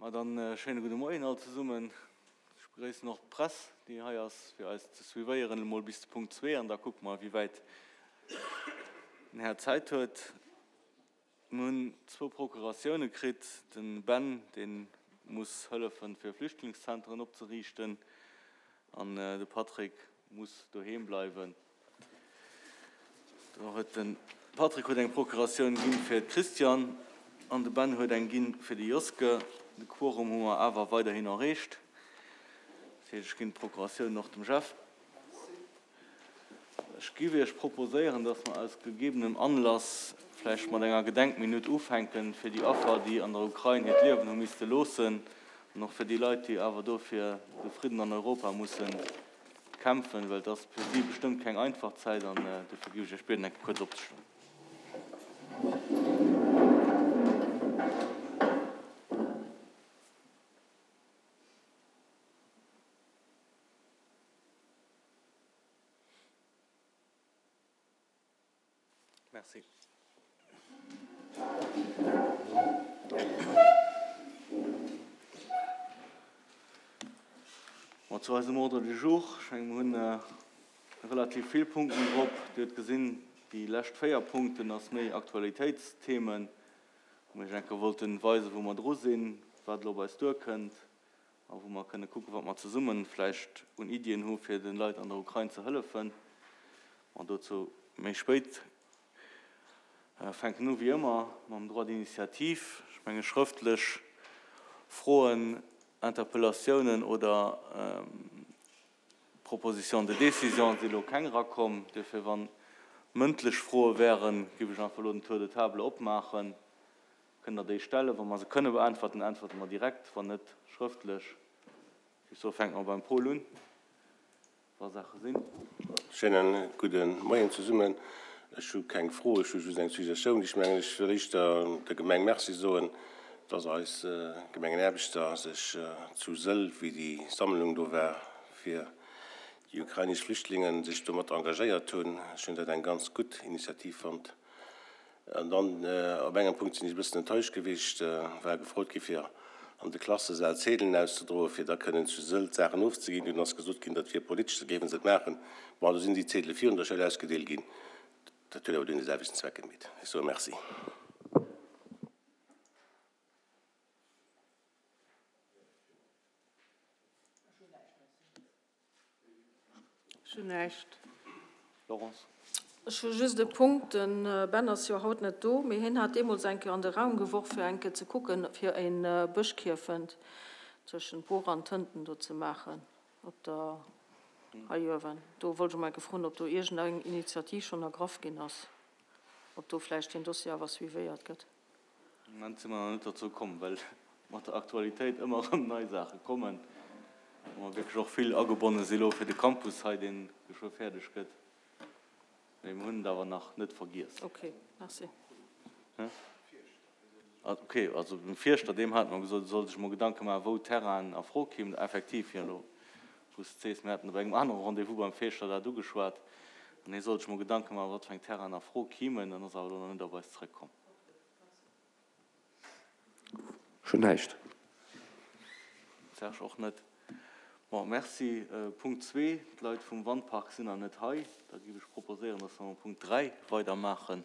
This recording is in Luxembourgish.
Ma dann schéine gudde Moien all zesummen. Ech begréissen och d'Press, déi hei ass, fir eis ze suivéieren, emol bis de Punkt zwee, an da kucke mer, wéi wäit den Här Zäit huet. Mir hunn zwou Procuratioune kritt. De Ben, dee muss hëllefen, fir Flüchtlingszenteren opzeriichten, an de Patrick muss doheem bleiwen. Do huet de Patrick huet eng Procuratioun ginn fir d'Christiane an de Ben huet eng ginn fir de Joske. De Quorum hu mer awer weiderhin erreecht. Dat heescht, ech ginn d'Procuratioun och dem Jeff. Ech giff Iech proposéieren, dass mer aus gegebenem Anlass vläicht mat enger Gedenkminutt ufänken fir déi Affer, déi an der Ukrain hiert Liewen hu misste loossen an och fir déi Leit, déi awer do fir de Fridden an Europa mussen kämpfen, well et ass fir si bestëmmt keng einfach Zäit an dofir géif ech Iech bieden, eng Kéier kuerz opzestoen. Merci. Bon, zu eisem Ordre du jour. Ech mengen, mir hunn relativ vill Punkten drop. Dir hutt gesinn, déi lescht 4 Punkten ass méi Aktualitéitsthemen, wou mir iech eng Kéier wollten weisen, wou mer dru sinn, wat elo op eis duerkënnt a wou mer kënne kucken, wat mer zesumme vläicht un Iddien hu fir de Leit an der Ukrain ze hëllefen. Bon, dozou méi spéit. Fänken u wéi ëmmer mam Droit d'initiative. Ech menge schrëftlech Froen, Interpellatiounen oder Propositions de décision si elo keng erakomm. Duerfir, wa mëndlech Froe wären, géif ech einfach elo den Tour de table opmaachen. Kënnt Der déi stellen? Wa mer se kënne beäntwerten, äntwerte mer direkt, wann net, schrëftlech. Ech géif soen, fänke mer beim Paul un, wa Saache sinn. Schéinen gudde Moien zesummen. Ech hu keng Fro, ech hu just eng Suggestioun. Ech mengen, ech wëll éischter der Gemeng Merci soen, dass eis Gemengenaarbechter sech zu Sëll, wéi déi Sammlung do war fir déi ukrainesch Flüchtlingen, sech do mat engagéiert hunn. Ech hunn dat eng ganz gutt Initiativ fonnt. An dann, op engem Punkt sinn ech e bëssen enttäuscht gewiescht, war gefrot gi fir an de Klassesäll Zedelen auszedroen, fir da kënnen zu Sëll d'Saachen ofzeginn. Dunn ass gesot ginn, dat wier politesch, da géife se et maachen. Bon, do sinn déi Zedele virun der Schoul ausgedeelt ginn. Dat huet awer dunn de selwechten Zweck gemeet. Ech soe Merci. Ech hunn näischt. Laurence. Ech hu just e Punkt. De Ben ass jo haut net do, mee hien hat deemools eng Kéier an de Raum geworf, fir eng Kéier ze kucken, fir e Bëschkierfent tëschent Bor an Tënten do ze maachen, op der, hei uewen. Do wollt ech emol eng Kéier froen, ob do iergendeng Initiativ schonn ergraff ginn ass, ob do vläicht deen Dossier awer suivéiert gëtt. Am Moment si mer nach net dozou komm, well mat der Aktualitéit ëmmer erëm nei Saache kommen, wou mer wierklech och vill agebonne si lo fir de Campus hei, dee geschwë fäerdeg gëtt. Mee mir hunn et awer nach net vergiess. Ok, merci. Ok, also dem Fierschter, deem hate mer gesot, e soll sech emol Gedanke maachen, wou Terrainen a Fro kéimen. Effektiv, jo, elo wou s de et sees, mir haten op engem anere Rendez-vous beim Fierschter dat ugeschwat an hie soll sech emol Gedanke maachen, wat fir eng Terrainen a Fro kéimen. En ass awer elo nach net op eis zrëckkomm. Ech hunn näischt. Serge, Och net. Bon, merci. Punkt zwee, d'Leit vum Wandpark sinn nach net hei. Da géif ech proposéieren, dass mer mam Punkt 3 weidermaachen.